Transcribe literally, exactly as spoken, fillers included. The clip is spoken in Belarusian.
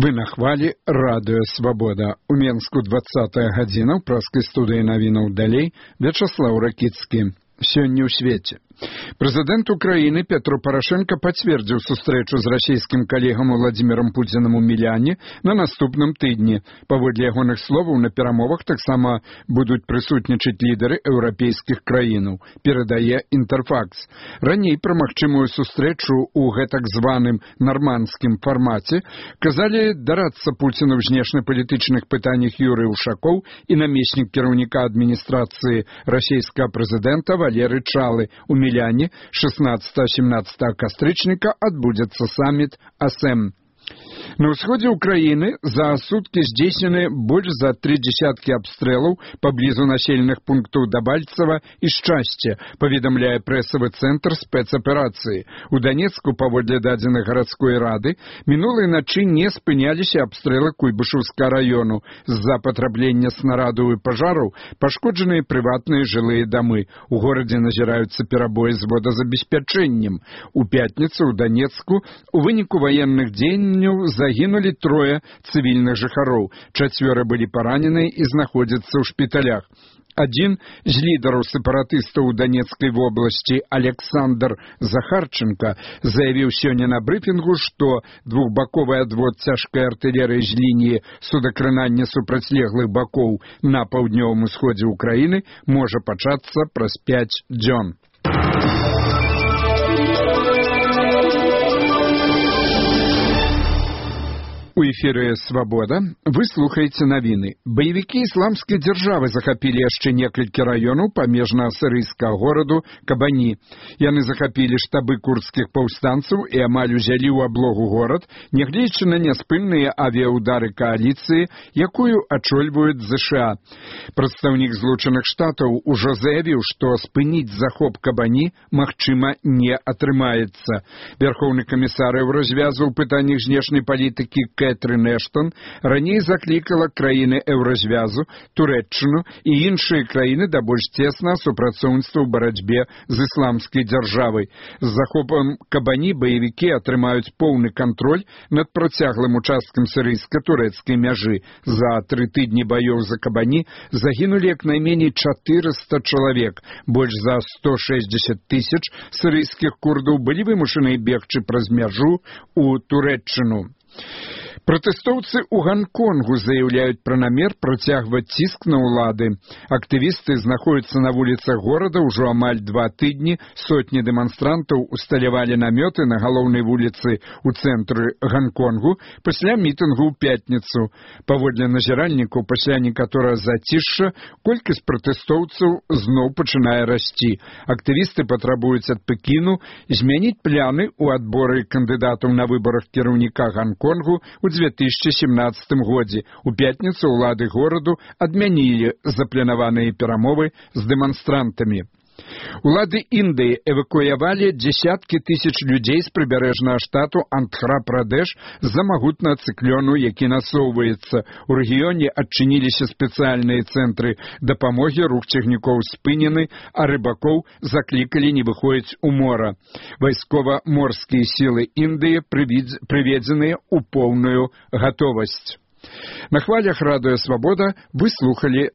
Вы на хвалі радыё Свабода. У Менску двадцатая гадзіна, ў праскай студыі навінаў далей Вячаслаў Ракіцкі. Сёння ў свеце. Прэзідэнт Украіны Петро Парашенко пацвердзіў сустрэчу з расійскім калегам Владзімірам Пуцінам у Міляне на наступным тыдні. Паводле ягоных словаў, на перамовах таксама будуць прысутнічаць лідары еўрапейскіх краінаў, перадае Інтэрфакс. Раней пра магчымую сустрэчу ў гэтак званым нармандскім фармаце казалі дарацца Пуціну ў знешнепалітычных пытаннях Юрый Ушакоў і намеснік кіраўніка адміністрацыі расійскага прэзідэнта Валерый Чалы. У Міляне шестнадцатого-семнадцатого кастрычніка адбудзецца саміт АСЭМ. На ўсходзе ўкраіны за суткі здзейснены больш за тры дзесяткі абстрэлаў паблізу населеных пунктаў Дабальцева і Шчасце, паведамляе прэсавы цэнтр спецаперацыі. У Донецку, паводле дадзеных гарадской рады, мінулай начы не спыняліся абстрэлы Куйбышевскага раёну. З-за патраблення снарадаў і пажараў пашкоджаныя прыватныя жылыя дамы. У горадзе назіраюцца перабоі з водазабеспячэннем. У пятніцу ў Донецку у выніку ваенных дзеянняў загінулі трое цывільных жыхароў. Чацвёра былі параненыя і знаходзяцца ў шпіталях. Адзін з лідараў сепаратыстаў у Донецкай вобласці Александр Захарченко заявіў сёння на брыфінгу, што двухбаковы адвод цяжкай артылерыі з лініі судакранання супрацьлеглых бакоў на паўднёвым усходзе ўкраіны можа пачацца праз пяць дзён. У эфіры «Свабода» вы слухаеце навіны. Баевікі ісламскай дзяржавы захапілі яшчэ некалькі раёнаў памежнага сірыйскага гораду Кабані. Яны захапілі штабы курдскіх паўстанцаў і амаль узялі ў аблогу горад, нягледзячы на няспынныя авіяудары кааліцыі, якую ачольваюць ЗША. Прадстаўнік Злучаных Штатаў ужо заявіў, што спыніць захоп Кабані, магчыма, не атрымаецца. Вярхоўны камісар Еўразвязу ў пытаннях знешняй палітыкі Кэтрин Эштон раней заклікала краіны Еўразвязу, Турэччыну і іншыя краіны да больш цеснага супрацоўніцтва ў барацьбе з ісламскай дзяржавай. З захопам Кабані баевікі атрымаюць поўны кантроль над працяглым участкам сірыйска-турэцкай мяжы. За тры тыдні баёў за Кабані загінулі як найменей чатырыста чалавек. Больш за сто шэсцьдзесят тысяч сірыйскіх курдаў былі вымушаны бегчы праз мяжу ў Турэччыну. Пратэстоўцы ў Ганконгу заяўляюць пра намер працягваць ціск на ўлады. Актывісты знаходзяцца на вуліцах горада ўжо амаль два тыдні. Сотні дэманстрантаў усталявалі намёты на галоўнай вуліцы ў цэнтры Ганконгу пасля мітынгу ў пятніцу. Паводле назіральнікаў, пасля некаторага зацішша колькасць пратэстоўцаў зноў пачынае расці. Актывісты патрабуюць ад Пекіну змяніць пляны ў адборы кандыдатаў на выбарах кіраўніка Ганконгу ў две тысячи семнадцатым годзе. У пятніцу ўлады гораду адмянілі запланаваныя перамовы з дэманстрантамі. Улады Індыі эвакуявалі дзесяткі тысяч людзей з прыбярэжнага штату Андхра-Прадэш з-за магутнага цыклону, які насоўваецца. У рэгіёне адчыніліся спецыяльныя цэнтры дапамогі, рух цягнікоў спынены, а рыбакоў заклікалі не выходзіць у мора. Вайскова-морскія сілы Індыі прыведзеныя ў поўную гатовасць. На хвалях радыё Свабода вы слухалі